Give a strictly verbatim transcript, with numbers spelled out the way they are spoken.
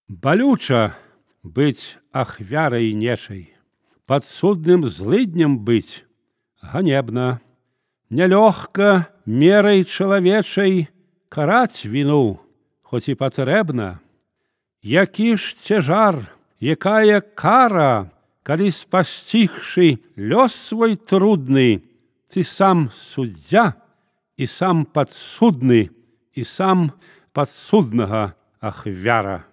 Балюча быць ахвярай нечай, падсудным злыднем быць ганебна. Нялёгка мерай чалавечай караць віну, хоць і патрэбна. Які ж цяжар, якая кара, калі спасцігшы лёс свой трудны, ты сам суддзя і сам падсудны, і сам падсуднага ахвяра.